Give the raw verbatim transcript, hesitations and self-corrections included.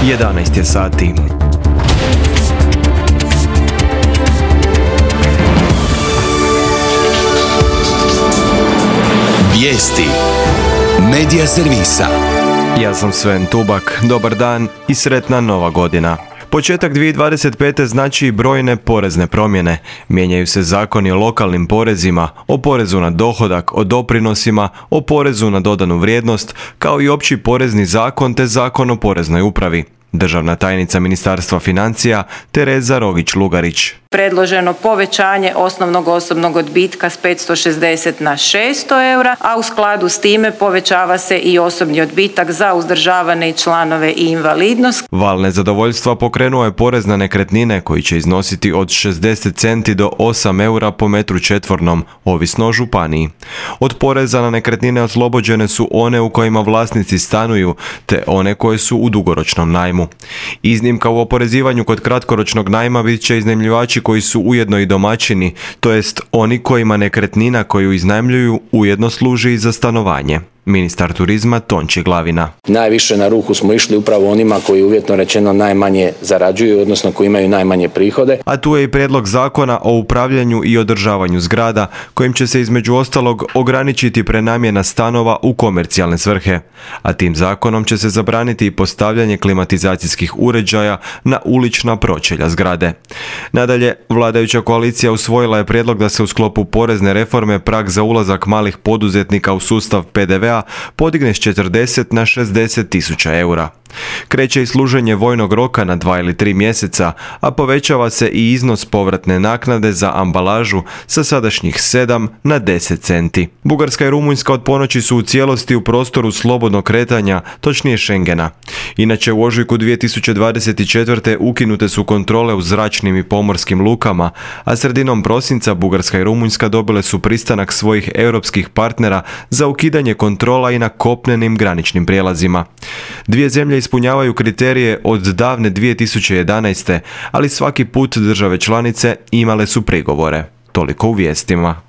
jedanaest je sati. Vijesti Medija servisa. Ja sam Sven Tubak, dobar dan i sretna nova godina. Početak dvije tisuće dvadeset pete znači i brojne porezne promjene. Mijenjaju se zakoni o lokalnim porezima, o porezu na dohodak, o doprinosima, o porezu na dodanu vrijednost, kao i opći porezni zakon te zakon o poreznoj upravi. Državna tajnica Ministarstva financija Tereza Rogić-Lugarić. Predloženo povećanje osnovnog osobnog odbitka s petsto šezdeset na šesto eura, a u skladu s time povećava se i osobni odbitak za uzdržavane članove i invalidnost. Val nezadovoljstva pokrenuo je porez na nekretnine koji će iznositi od šezdeset centi do osam eura po metru četvornom, ovisno o županiji. Od poreza na nekretnine oslobođene su one u kojima vlasnici stanuju, te one koje su u dugoročnom najmu. Iznimka u oporezivanju kod kratkoročnog najma bit će iznajmljivači koji su ujedno i domaćini, to jest oni kojima nekretnina koju iznajmljuju ujedno služi i za stanovanje. Ministar turizma Tonči Glavina. Najviše na ruku smo išli upravo onima koji uvjetno rečeno najmanje zarađuju, odnosno koji imaju najmanje prihode. A tu je i prijedlog zakona o upravljanju i održavanju zgrada, kojim će se između ostalog ograničiti prenamjena stanova u komercijalne svrhe. A tim zakonom će se zabraniti i postavljanje klimatizacijskih uređaja na ulična pročelja zgrade. Nadalje, vladajuća koalicija usvojila je prijedlog da se u sklopu porezne reforme prag za ulazak malih poduzetnika u sustav pe de ve a podigne s četrdeset na šezdeset tisuća eura. Kreće i služenje vojnog roka na dva ili tri mjeseca, a povećava se i iznos povratne naknade za ambalažu sa sadašnjih sedam na deset centi. Bugarska i Rumunjska od ponoći su u cijelosti u prostoru slobodnog kretanja, točnije Schengena. Inače, u ožujku dvije tisuće dvadeset četvrte ukinute su kontrole u zračnim i pomorskim lukama, a sredinom prosinca Bugarska i Rumunjska dobile su pristanak svojih europskih partnera za ukidanje kontrola i na kopnenim graničnim prijelazima. Dvije zemlje ispunjavaju kriterije od davne dvije tisuće jedanaeste, ali svaki put države članice imale su prigovore. Toliko u vijestima.